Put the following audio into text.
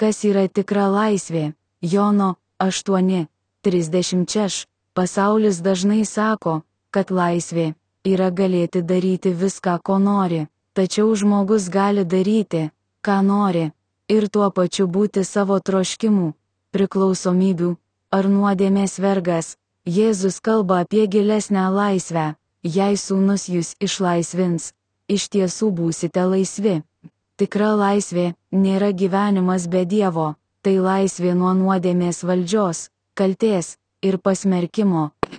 Kas yra tikra laisvė? Jono 8:30. Pasaulis dažnai sako, kad laisvė yra galėti daryti viską, ko nori, tačiau žmogus gali daryti, ką nori, ir tuo pačiu būti savo troškimų, priklausomybių ar nuodėmės vergas. Jėzus kalba apie gilesnę laisvę. Jei Sūnus jus išlaisvins, iš tiesų būsite laisvi. Tikra laisvė nėra gyvenimas be Dievo, tai laisvė nuo nuodėmės valdžios, kaltės ir pasmerkimo.